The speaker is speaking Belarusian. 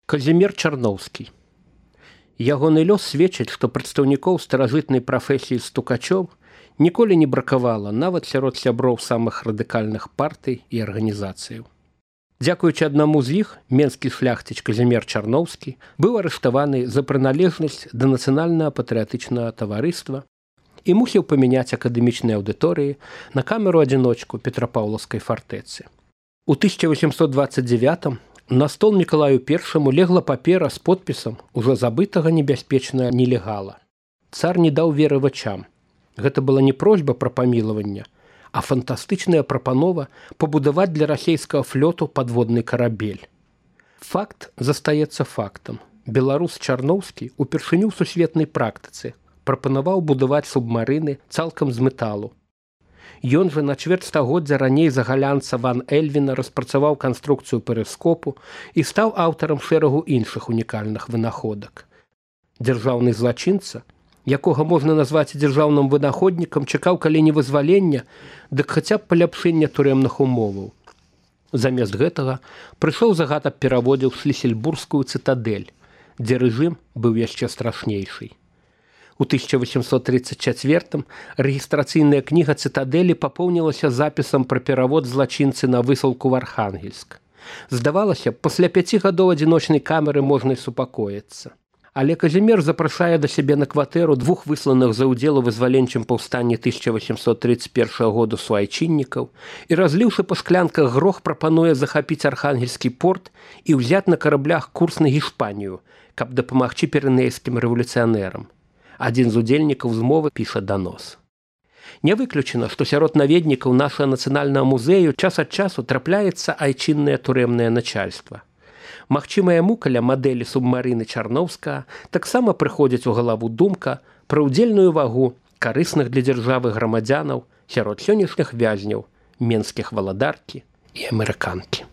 Казімір Чарноўскі. Ягоны лёс сведчыць, што прадстаўнікоў старажытнай прафесіі стукачоў ніколі не бракавала нават сярод сяброў самых радыкальных партый і арганізацыяў. Дзякуючы аднаму з іх, менскі шляхціч Казімір Чарноўскі быў арыштаваны за прыналежнасць да нацыянальнага патрыятычнага таварыства і мусіў памяняць акадэмічныя аўдыторыі на камеру-адзіночку Петрапаўлаўскай фартэцы. У 1829 на стол Мікалаю I легла папера з подпісам ужо забытага небяспечнага нелегала. Цар не даў веры вачам. Гэта была не просьба пра памілаванне, а фантастычная прапанова пабудаваць для расейскага флоту падводны карабель. Факт застаецца фактам. Беларус Чарноўскі упершыню ў сусветнай практыцы прапанаваў будаваць субмарыны цалкам з металу. Ён жа на чвэрць стагоддзя раней за галянца Ван Эльвіна распрацаваў канструкцыю перыскопу і стаў аўтарам шэрагу іншых унікальных вынаходак. Дзяржаўны злачынца, якога можна назваць дзяржаўным вынаходнікам, чакаў калі не вызвалення, дык хаця б паляпшэння турэмных умоваў. Замест гэтага прыйшоў загад аб пераводзе ў Шлісельбургскую цытадэль, дзе рэжым быў яшчэ страшнейший. У 1834 рэгістрацыйная кніга цытадэлі папоўнілася запісам пра перавод злачынцы на высылку в Архангельск. Здавалася, пасля 5 гадоў адзіночнай камеры можна і супакоіцца. Але Казімір запрашае да сябе на кватэру двух высланых за ўдзел у вызваленчым паўстанні 1831 году суайчыннікаў і, разліўшы па шклянках грох, прапануе захапіць Архангельскі порт і ўзяць на караблях курс на Гішпанію, каб дапамагчы пірэнейскім рэвалюцыянерам. Адзін з удзельнікаў змовы піша данос. Не выключана, што сярод наведнікаў нашага нацыянальнага музею час ад часу трапляецца айчыннае турэмнае начальства. Магчыма, яму каля мадэлі субмарыны Чарноўскага таксама прыходзіць у галаву думка пра ўдзельную вагу карысных для дзяржавы грамадзянаў сярод сённяшніх вязняў, менскіх валадаркі і амерыканкі.